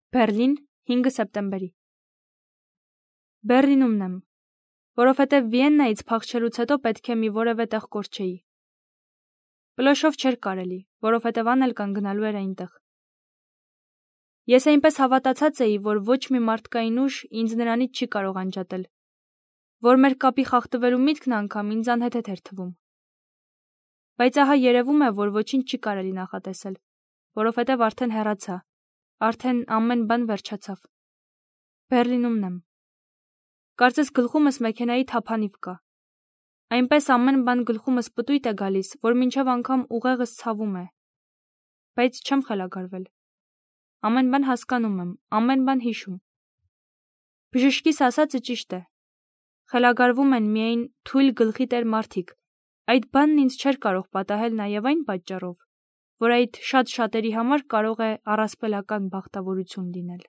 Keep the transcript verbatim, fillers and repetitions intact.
Բեռլին, հինգ սեպտեմբերի։ Բեռլինում եմ, որովհետև Վիեննայից փախչելուց հետո պետք է մի որևէ տեղ կորչեի։ Պլոշով չէր կարելի, որովհետև Աննելկան գնալու էր այնտեղ։ Ես այնպես հավատացած էի, որ ոչ մի մարդկային ուժ ինձ նրանից չի կարող անջատել, որ մեր կապի խախտվելու միտքն անգամ ինձ անհեթեթ էր թվում։ Բայց ահա երևում է, որ ոչինչ չի կարելի նախատեսել, որովհետև արդեն հեռացա, արդեն ամեն բան վերջացավ։ Բեռլինումն եմ։ Կարծես գլխումս մեքենայի թափանիվ կա։ Այնպես ամեն բան գլխումս պտույտ է գալիս, որ մինչև անգամ ուղեղս ցավում է։ Բայց չեմ խելագարվել։ Ամեն բան հասկանում եմ, ամեն բան հիշում։ Բժշկիս ասածը ճիշտ է։ Խելագարվում են միայն թույլ գլխի տեր մարդիկ։ Այդ բանն ինձ չէր կարող պատահել նաև այն պատճառով, որ այդ շատ շատերի համար կարող է առասպելական բախտավորություն լինել։